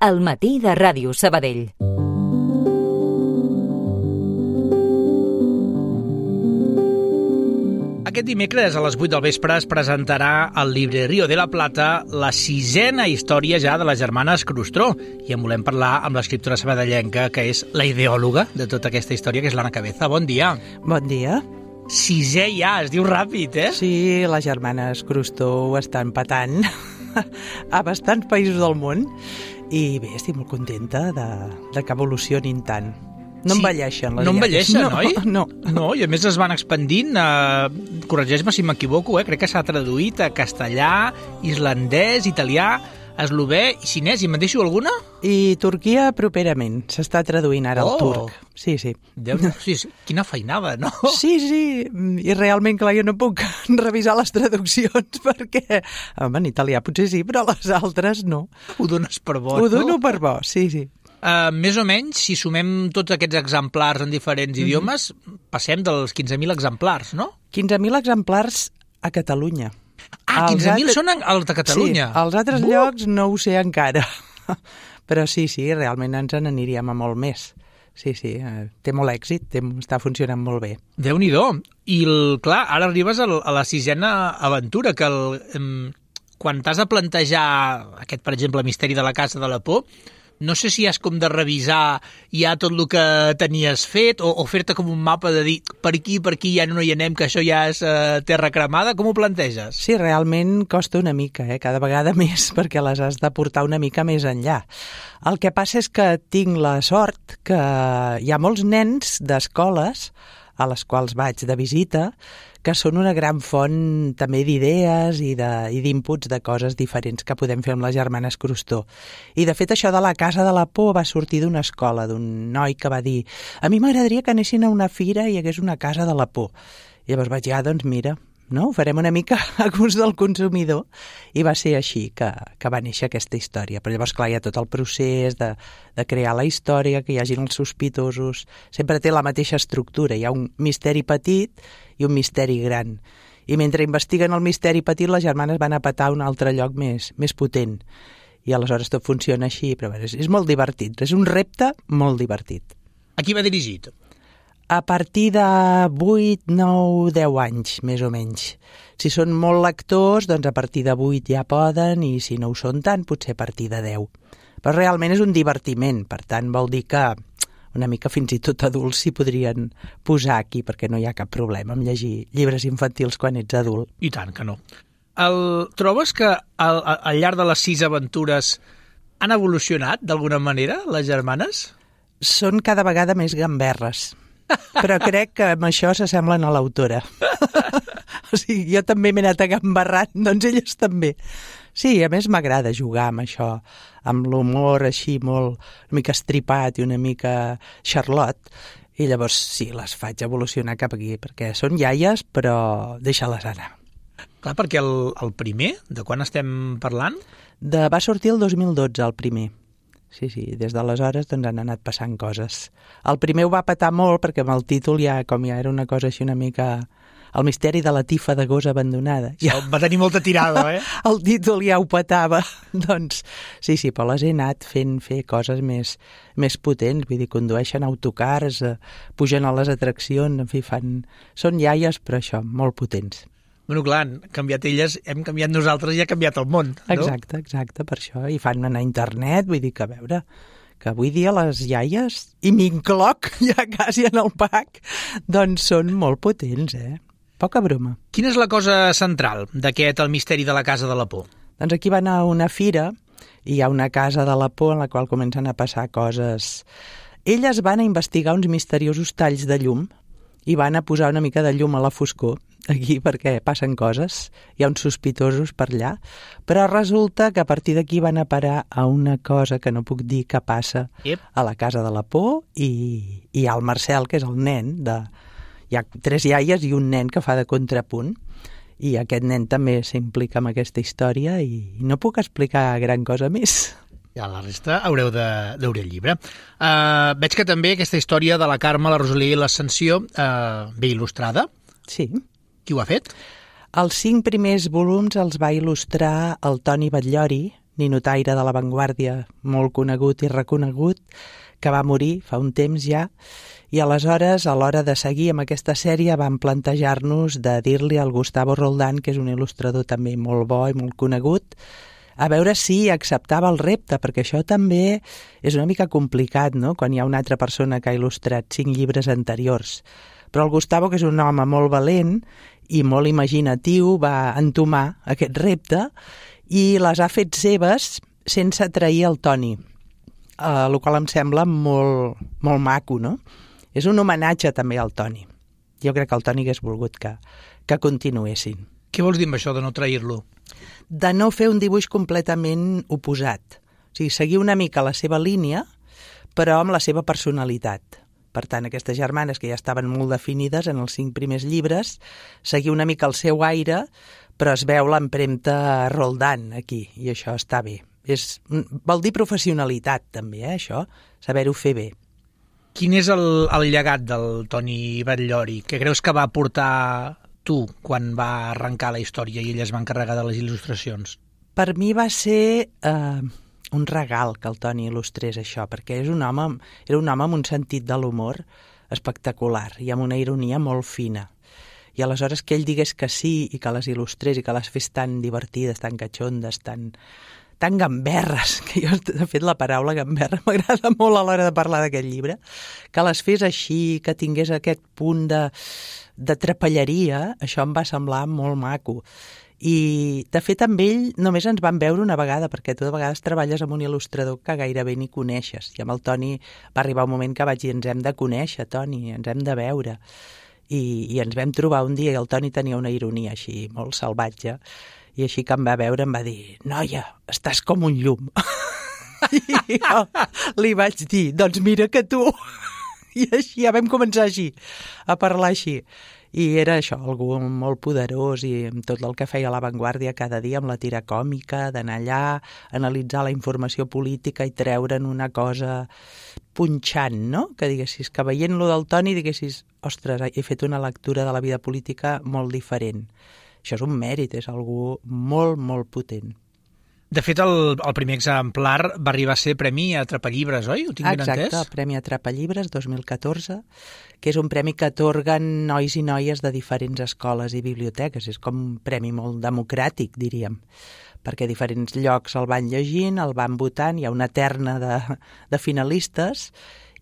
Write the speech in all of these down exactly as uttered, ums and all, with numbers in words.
al matí de Ràdio Sabadell. Aquest dimecres a les vuit del vespre es presentarà al Librerío de la Plata la sisena història ja de les germanes Crustró i en volem parlar amb l'escriptora sabadellenca que és la ideòloga de tota aquesta història, que és l'Anna Cabeza. Bon dia. Bon dia. Sisè ja, es diu ràpid, eh? Sí, les germanes Crustró ho estan patant a bastants països del món i bé, estic molt contenta de, de que evolucionin tant. No sí, envelleixen, les no envelleixen, no, oi? No. No, i a més es van expandint, eh, corregeix-me si m'equivoco, eh, crec que s'ha traduït a castellà, islandès, italià, eslovè i xinès, i me'n deixo alguna? I Turquia properament, s'està traduint ara oh. el turc. Sí, sí. Déu, sí, sí. Quina feinada, no? Sí, sí, i realment, clar, jo no puc revisar les traduccions perquè, home, en italià potser sí, però les altres no. Ho dones per bo, Ho no? dono per bo, sí, sí. Uh, més o menys, si sumem tots aquests exemplars en diferents mm-hmm. idiomes, passem dels quinze mil exemplars, no? quinze mil exemplars a Catalunya. Ah, quinze mil altres... són els de Catalunya? Sí, als altres uh! llocs no ho sé encara. Però sí, sí, realment ens n'aniríem a molt més. Sí, sí, eh, té molt èxit, té, està funcionant molt bé. Déu-n'hi-do. I, el, clar, ara arribes a la sisena aventura, que el, eh, quan t'has de plantejar aquest, per exemple, misteri de la Casa de la Por, no sé si has com de revisar ja tot el que tenies fet o, o fer-te com un mapa de dir per aquí, per aquí ja no hi anem, que això ja és eh, terra cremada. Com ho planteges? Sí, realment costa una mica, eh? Cada vegada més, perquè les has de portar una mica més enllà. El que passa és que tinc la sort que hi ha molts nens d'escoles a les quals vaig de visita que són una gran font també d'idees i d'inputs de, de coses diferents que podem fer amb les germanes Crustró. I de fet això de la Casa de la Por va sortir d'una escola, d'un noi que va dir a mi m'agradaria que anessin a una fira i hi hagués una Casa de la Por. I llavors vaig dir, ah, doncs mira, no? Ho farem una mica a gust del consumidor. I va ser així que, que va néixer aquesta història. Però llavors, clar, hi ha tot el procés de, de crear la història, que hi hagin els sospitosos. Sempre té la mateixa estructura. Hi ha un misteri petit i un misteri gran. I mentre investiguen el misteri petit, les germanes van a petar un altre lloc més, més potent. I aleshores tot funciona així, però bé, és, és molt divertit. És un repte molt divertit. A qui va dirigit? A partir de vuit, nou, deu anys, més o menys. Si són molt lectors, doncs a partir de vuit ja poden, i si no ho són tant, potser a partir de deu. Però realment és un divertiment, per tant vol dir que una mica fins i tot adults s'hi podrien posar aquí, perquè no hi ha cap problema amb llegir llibres infantils quan ets adult. I tant que no. El, trobes que al, al llarg de les sis aventures han evolucionat d'alguna manera, les germanes? Són cada vegada més gamberres. Però crec que amb això s'assemblen a l'autora. O sigui, jo també m'he anat agambarrant, doncs elles també. Sí, a més m'agrada jugar amb això, amb l'humor així molt, una mica estripat i una mica Charlotte, i llavors sí, les faig evolucionar cap aquí, perquè són iaies, però deixa-les anar. Clar, perquè el, el primer, de quan estem parlant? De, va sortir el dos mil dotze, el primer. Sí, sí, des d'aleshores doncs han anat passant coses. El primer ho va petar molt perquè amb el títol ja, com ja era una cosa així una mica... El misteri de la tifa de gos abandonada. Ja... Va tenir molta tirada, eh? El títol ja ho petava. Doncs sí, sí, però les he anat fent fer coses més, més potents. Vull dir, condueixen autocars, eh, pugen a les atraccions, en fi, fan... Són iaies, però això, molt potents. Bueno, clar, han canviat elles, hem canviat nosaltres i ha canviat el món, no? Exacte, exacte, per això. I fan anar a internet, vull dir que, a veure, que avui dia les iaies, i m'incloc ja quasi en el pack, doncs són molt potents, eh? Poca broma. Quina és la cosa central d'aquest El misteri de la Casa de la Por? Doncs aquí van a una fira i hi ha una Casa de la Por en la qual comencen a passar coses. Elles van a investigar uns misteriosos talls de llum i van a posar una mica de llum a la foscor aquí perquè passen coses, hi ha uns sospitosos per allà, però resulta que a partir d'aquí van a parar a una cosa que no puc dir que passa yep. a la Casa de la Por i, i hi ha el Marcel, que és el nen, de, hi ha tres iaies i un nen que fa de contrapunt, i aquest nen també s'implica en aquesta història i no puc explicar gran cosa més. Ja la resta haureu d'obrir el llibre. Uh, veig que també aquesta història de la Carme, la Rosalia i l'Ascensió uh, ve il·lustrada. Sí. Qui ho ha fet? Els cinc primers volums els va il·lustrar el Toni Batllori, ninotaire de l'avantguàrdia molt conegut i reconegut, que va morir fa un temps ja, i aleshores, a l'hora de seguir amb aquesta sèrie, vam plantejar-nos de dir-li al Gustavo Roldán, que és un il·lustrador també molt bo i molt conegut, a veure si acceptava el repte, perquè això també és una mica complicat, no?, quan hi ha una altra persona que ha il·lustrat cinc llibres anteriors. Però el Gustavo, que és un home molt valent i molt imaginatiu, va entomar aquest repte i les ha fet seves sense trair el Toni, eh, el qual em sembla molt, molt maco, no? És un homenatge també al Toni. Jo crec que el Toni hagués volgut que, que continuessin. Què vols dir amb això de no trair-lo? De no fer un dibuix completament oposat. O sigui, seguir una mica la seva línia, però amb la seva personalitat. Per tant, aquestes germanes que ja estaven molt definides en els cinc primers llibres, seguir una mica el seu aire, però es veu l'empremta Roldán aquí, i això està bé. És, vol dir professionalitat, també, eh, això, saber-ho fer bé. Quin és el, el llegat del Toni Batllori? Què creus que va portar tu quan va arrencar la història i ell es va encarregar de les il·lustracions? Per mi va ser eh, un regal que el Toni il·lustrés això, perquè és un home, era un home amb un sentit de l'humor espectacular i amb una ironia molt fina. I aleshores que ell digués que sí i que les il·lustrés i que les fes tan divertides, tan catxondes, tan, tan gamberres, que jo, de fet, la paraula gamberra m'agrada molt a l'hora de parlar d'aquest llibre, que les fes així, que tingués aquest punt de, de trapelleria, això em va semblar molt maco. I, de fet, amb ell només ens vam veure una vegada, perquè tu de vegades treballes amb un il·lustrador que gairebé ni coneixes. I amb el Toni va arribar un moment que vaig dir, ens hem de conèixer, Toni, ens hem de veure. I, i ens vam trobar un dia i el Toni tenia una ironia així molt salvatge, i així que em va veure em va dir, noia, estàs com un llum. I jo li vaig dir, doncs mira que tu. I així ja vam començar així, a parlar així. I era això, algú molt poderós i amb tot el que feia a l'avantguàrdia cada dia, amb la tira còmica, d'anar allà, analitzar la informació política i treure'n una cosa punxant, no? Que diguessis, que veient-lo del Toni diguessis, ostres, he fet una lectura de la vida política molt diferent. Això és un mèrit, és algú molt, molt potent. De fet, el, el primer exemplar va arribar a ser Premi Atrapallibres, oi? Ho tinc ben entès? Exacte, el Premi Atrapallibres dos mil catorze, que és un premi que atorguen nois i noies de diferents escoles i biblioteques. És com un premi molt democràtic, diríem, perquè diferents llocs el van llegint, el van votant, hi ha una terna de, de finalistes,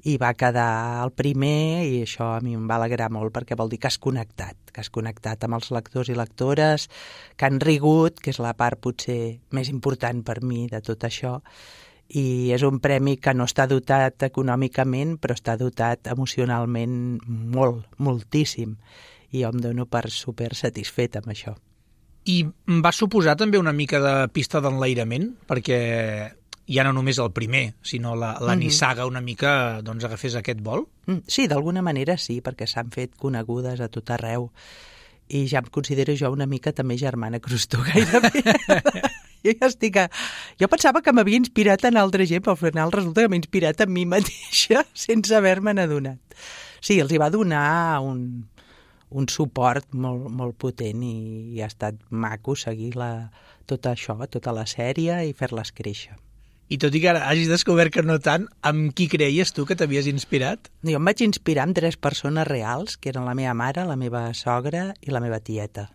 i va quedar el primer, i això a mi em va alegrar molt perquè vol dir que has connectat, que has connectat amb els lectors i lectores, que han rigut, que és la part potser més important per mi de tot això, i és un premi que no està dotat econòmicament, però està dotat emocionalment molt, moltíssim, i jo em dono per super satisfet amb això. I va suposar també una mica de pista d'enlairament, perquè ja no només el primer, sinó la, la mm-hmm. nissaga una mica doncs, agafés aquest vol? Sí, d'alguna manera sí, perquè s'han fet conegudes a tot arreu. I ja em considero jo una mica també germana Crostó, gairebé. jo ja estic a... Jo pensava que m'havia inspirat en altra gent, però al final resulta que m'he inspirat en mi mateixa sense haver-me'n adonat. Sí, els hi va donar un, un suport molt, molt potent i, i ha estat maco seguir la, tot això, tota la sèrie i fer-les créixer. I tot i que ara hagis descobert que no tant, amb qui creies tu que t'havies inspirat? Jo em vaig inspirar amb tres persones reals, que eren la meva mare, la meva sogra i la meva tieta.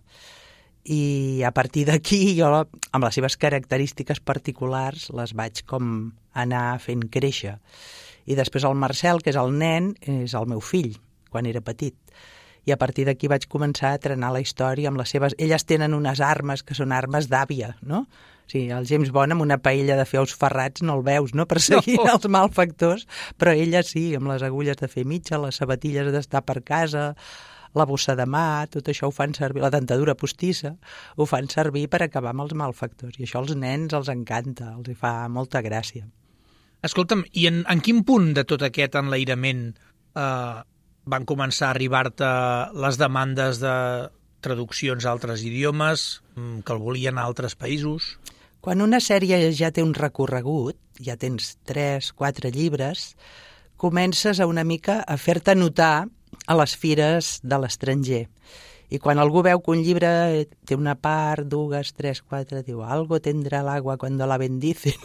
I a partir d'aquí jo, amb les seves característiques particulars, les vaig com anar fent créixer. I després el Marcel, que és el nen, és el meu fill, quan era petit. I a partir d'aquí vaig començar a trenar la història amb les seves... Elles tenen unes armes que són armes d'àvia, no? Sí, el James Bond amb una paella de fer ous ferrats no el veus, no?, perseguint no. els malfactors, però ella sí, amb les agulles de fer mitja, les sabatilles d'estar per casa, la bossa de mà, tot això ho fan servir, la dentadura postissa, ho fan servir per acabar amb els malfactors. I això als nens els encanta, els hi fa molta gràcia. Escolta'm, i en, en quin punt de tot aquest enlairament eh, van començar a arribar-te les demandes de traduccions a altres idiomes, que el volien a altres països? Quan una sèrie ja té un recorregut, ja tens tres, quatre llibres, comences a una mica a fer-te notar a les fires de l'estranger. I quan algú veu que un llibre té una part, dues, tres, quatre, diu, algo tendrà l'agua cuando la bendicen.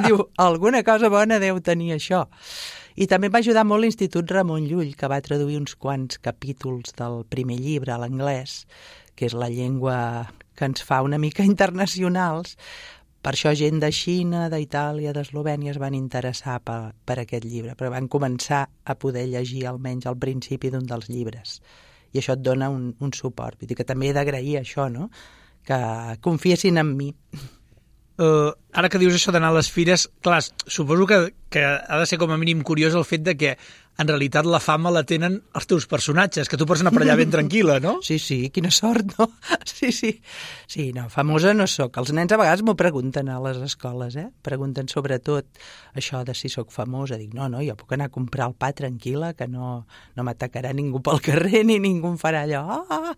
Diu, alguna cosa bona deu tenir això. I també em va ajudar molt l'Institut Ramon Llull, que va traduir uns quants capítols del primer llibre a l'anglès, que és la llengua que ens fa una mica internacionals. Per això gent de Xina, d'Itàlia, d'Eslovènia es van interessar per, per aquest llibre, però van començar a poder llegir almenys al principi d'un dels llibres. I això et dona un, un suport. Vull dir que també he d'agrair això, no? Que confiessin en mi. Uh, ara que dius això d'anar a les fires, clar, suposo que, que ha de ser com a mínim curiós el fet de que en realitat la fama la tenen els teus personatges, que tu pots anar per allà ben tranquil·la, no? Sí, sí, quina sort, no? Sí, sí. Sí, no, famosa no sóc. Els nens a vegades m'ho pregunten a les escoles, eh? Pregunten sobretot això de si sóc famosa. Dic, no, no, jo puc anar a comprar el pa tranquil·la, que no, no m'atacarà ningú pel carrer ni ningú em farà allò. Ah,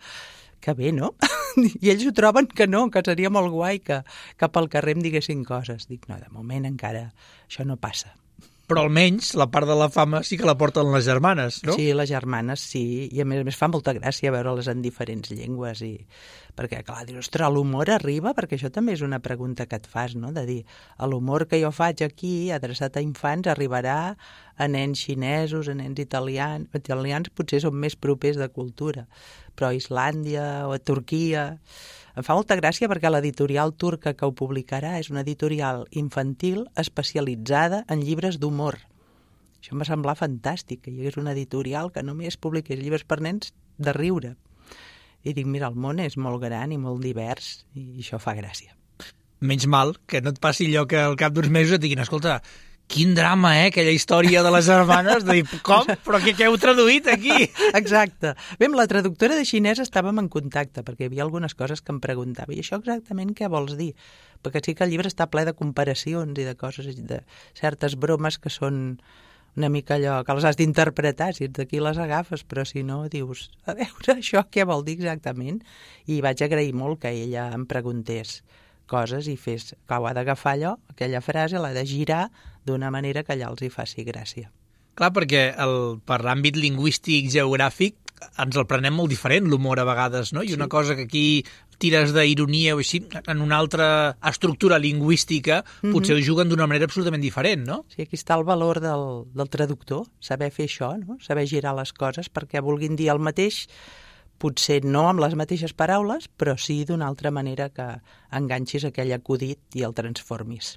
que bé, no? I ells ho troben que no, que seria molt guai que, que pel carrer em diguessin coses. Dic, no, de moment encara això no passa. Però almenys la part de la fama sí que la porten les germanes, no? Sí, les germanes, sí. I a més a més fa molta gràcia veure-les en diferents llengües. I... Perquè, clar, dius, ostres, l'humor arriba? Perquè això també és una pregunta que et fas, no? De dir, l'humor que jo faig aquí, adreçat a infants, arribarà a nens xinesos, a nens italians. Italians potser són més propers de cultura, però a Islàndia o a Turquia... Em fa molta gràcia perquè l'editorial turca que ho publicarà és una editorial infantil especialitzada en llibres d'humor. Això em va semblar fantàstic, que hi hagués una editorial que només publiqués llibres per nens de riure. I dic, mira, el món és molt gran i molt divers i això fa gràcia. Menys mal que no et passi allò que al cap d'uns mesos et diguin, escolta, quin drama, eh, aquella història de les germanes, de dir, com? Però què, què heu traduït aquí? Exacte. Bé, amb la traductora de xinès estàvem en contacte, perquè hi havia algunes coses que em preguntava, i això exactament què vols dir? Perquè sí que el llibre està ple de comparacions i de coses, de certes bromes que són una mica allò, que les has d'interpretar, si ets d'aquí les agafes, però si no, dius, a veure, això què vol dir exactament? I vaig agrair molt que ella em preguntés coses i fes, que ho ha d'agafar allò, aquella frase, l'ha de girar d'una manera que allà els hi faci gràcia. Clar, perquè el, per l'àmbit lingüístic, geogràfic, ens el prenem molt diferent, l'humor a vegades, no? I una sí. cosa que aquí tires d'ironia o així, en una altra estructura lingüística, mm-hmm. potser ho juguen d'una manera absolutament diferent, no? Sí, aquí està el valor del, del traductor, saber fer això, no? Saber girar les coses perquè vulguin dir el mateix, potser no amb les mateixes paraules, però sí d'una altra manera que enganxis aquell acudit i el transformis.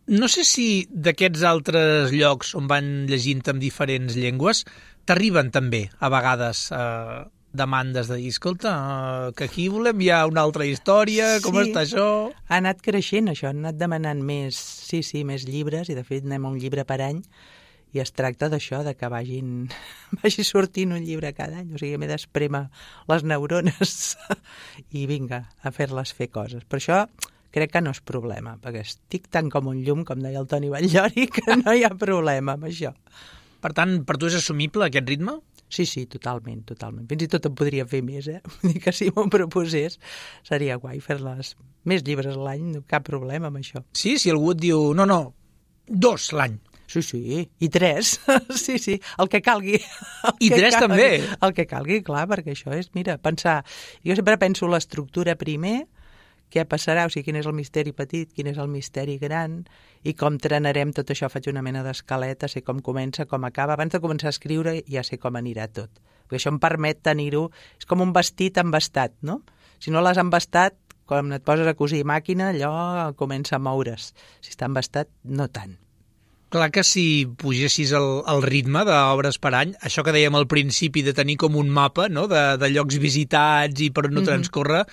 No sé si d'aquests altres llocs on van llegint en diferents llengües t'arriben també, a vegades, eh, demandes de dir, escolta, eh, que aquí volem ja una altra història, com sí, està això? Ha anat creixent això, han anat demanant més, sí, sí, més llibres, i de fet anem a un llibre per any, i es tracta d'això, de que vagin, vagi sortint un llibre cada any. O sigui, m'he d'esprémer les neurones i vinga, a fer-les fer coses. Per això crec que no és problema, perquè estic tan com un llum, com deia el Toni Batllori, que no hi ha problema amb això. Per tant, per tu és assumible aquest ritme? Sí, sí, totalment, totalment. Fins i tot en podria fer més, eh? Vull dir que si m'ho proposés seria guai fer-les més llibres a l'any, cap problema amb això. Sí, si algú et diu, no, no, dos l'any. Sí, sí, i tres, sí, sí, el que calgui. El I que tres calgui, també? El que calgui, clar, perquè això és, mira, pensar... Jo sempre penso l'estructura primer, què passarà, o sigui, quin és el misteri petit, quin és el misteri gran, i com trenarem tot això, faig una mena d'escaleta, sé com comença, com acaba. Abans de començar a escriure ja sé com anirà tot. Perquè això em permet tenir-ho... És com un vestit embastat, no? Si no l'has embastat, quan et poses a cosir màquina, allò comença a moure's. Si està embastat, no tant. Clar que si pugessis el, el ritme d'obres per any, això que dèiem al principi de tenir com un mapa, no?, de, de llocs visitats i per on no mm-hmm. transcorre,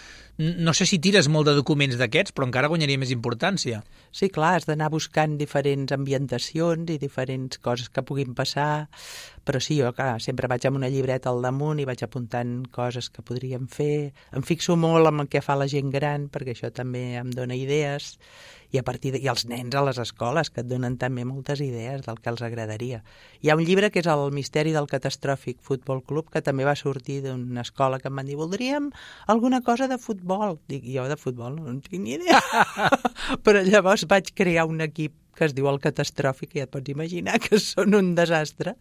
no sé si tires molt de documents d'aquests, però encara guanyaria més importància. Sí, clar, has d'anar buscant diferents ambientacions i diferents coses que puguin passar, però sí, jo clar, sempre vaig amb una llibreta al damunt i vaig apuntant coses que podríem fer. Em fixo molt en el que fa la gent gran, perquè això també em dona idees, i a partir de... i els nens a les escoles, que et donen també moltes idees del que els agradaria. Hi ha un llibre que és El misteri del catastròfic futbol club, que també va sortir d'una escola que em van dir, voldríem alguna cosa de futbol. Dic, jo de futbol no en tinc ni idea. Però llavors vaig crear un equip que es diu El Catastròfic, i ja et pots imaginar que són un desastre.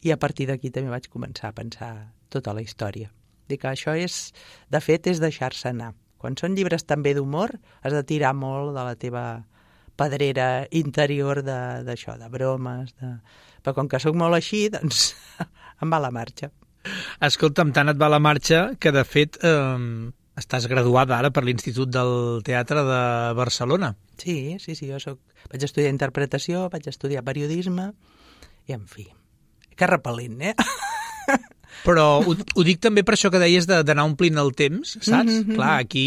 I a partir d'aquí també vaig començar a pensar tota la història. Dic que això és, de fet, és deixar-se anar. Quan són llibres també d'humor, has de tirar molt de la teva pedrera interior d'això, de, de bromes. De... Però com que sóc molt així, doncs em va la marxa. Escolta'm, tant et va la marxa que, de fet, eh, estàs graduada ara per l'Institut del Teatre de Barcelona. Sí, sí, sí, jo soc... vaig estudiar interpretació, vaig estudiar periodisme, i en fi, que repel·lent, eh? Però ho, ho dic també per això que deies d'anar omplint el temps, saps? Mm-hmm. Clar, aquí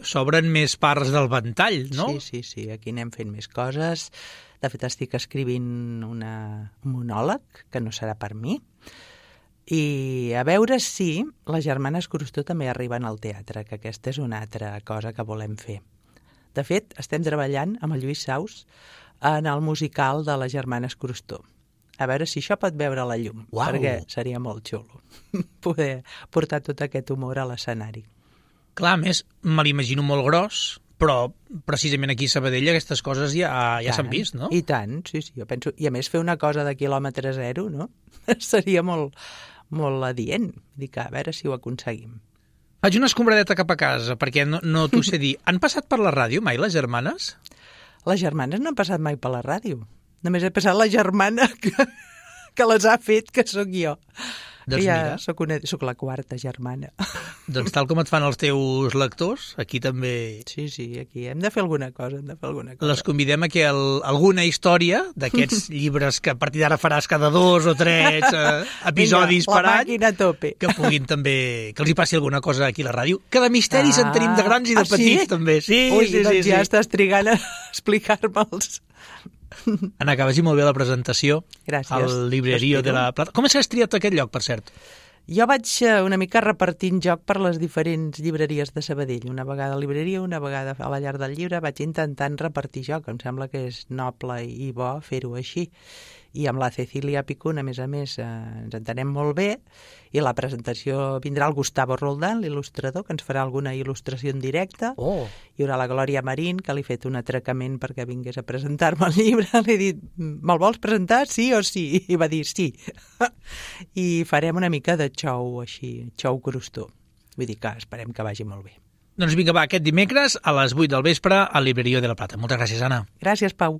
s'obren més parts del ventall, no? Sí, sí, sí, aquí anem fent més coses. De fet, estic escrivint una, un monòleg, que no serà per mi, i a veure si les germanes Crostó també arriben al teatre, que aquesta és una altra cosa que volem fer. De fet, estem treballant amb el Lluís Saus en el musical de les germanes Crostó. A veure si això pot veure la llum, Uau. Perquè seria molt xulo poder portar tot aquest humor a l'escenari. Clar, a més, me l'imagino molt gros, però precisament aquí a Sabadell aquestes coses ja, ja s'han vist, no? I tant, sí, sí, jo penso... I a més fer una cosa de quilòmetre zero, no? Seria molt, molt adient. Dic, a veure si ho aconseguim. Faig una escombradeta cap a casa, perquè no, no t'ho sé dir. Han passat per la ràdio mai, les germanes? Les germanes no han passat mai per la ràdio. Només he passat la germana que, que les ha fet, que sóc jo. Doncs ja mira. Soc, una, soc la quarta germana. Doncs tal com et fan els teus lectors, aquí també... Sí, sí, aquí hem de fer alguna cosa, hem de fer alguna cosa. Les convidem a que el, alguna història d'aquests llibres que a partir d'ara faràs cada dos o tres eh, episodis Vinga, per any, la màquina a tope. Que puguin també, que els hi passi alguna cosa aquí a la ràdio. Que de misteris ah, en tenim de grans i de ah, petits, sí? també. Sí, Ui, sí, doncs sí, ja sí. estàs trigant a explicar-me'ls. Anna, que vagi molt bé la presentació. Gràcies. Al Librerio de la Plata. Com has triat aquest lloc, per cert? Jo vaig una mica repartint joc per les diferents llibreries de Sabadell. Una vegada a la libreria, una vegada a la llar del llibre. Vaig intentant repartir joc. Em sembla que és noble i bo fer-ho així. I amb la Cecília Picún, a més a més, eh, ens entenem molt bé. I la presentació vindrà el Gustavo Roldán, l'il·lustrador, que ens farà alguna il·lustració en directe. Oh. Hi haurà la Glòria Marín, que li he fet un atracament perquè vingués a presentar-me el llibre. Li he dit, me'l vols presentar, sí o sí? I va dir sí. I farem una mica de xou així, xou Crostó. Vull dir que esperem que vagi molt bé. Doncs vinga, va, aquest dimecres a les vuit del vespre al Librerio de la Plata. Moltes gràcies, Anna. Gràcies, Pau.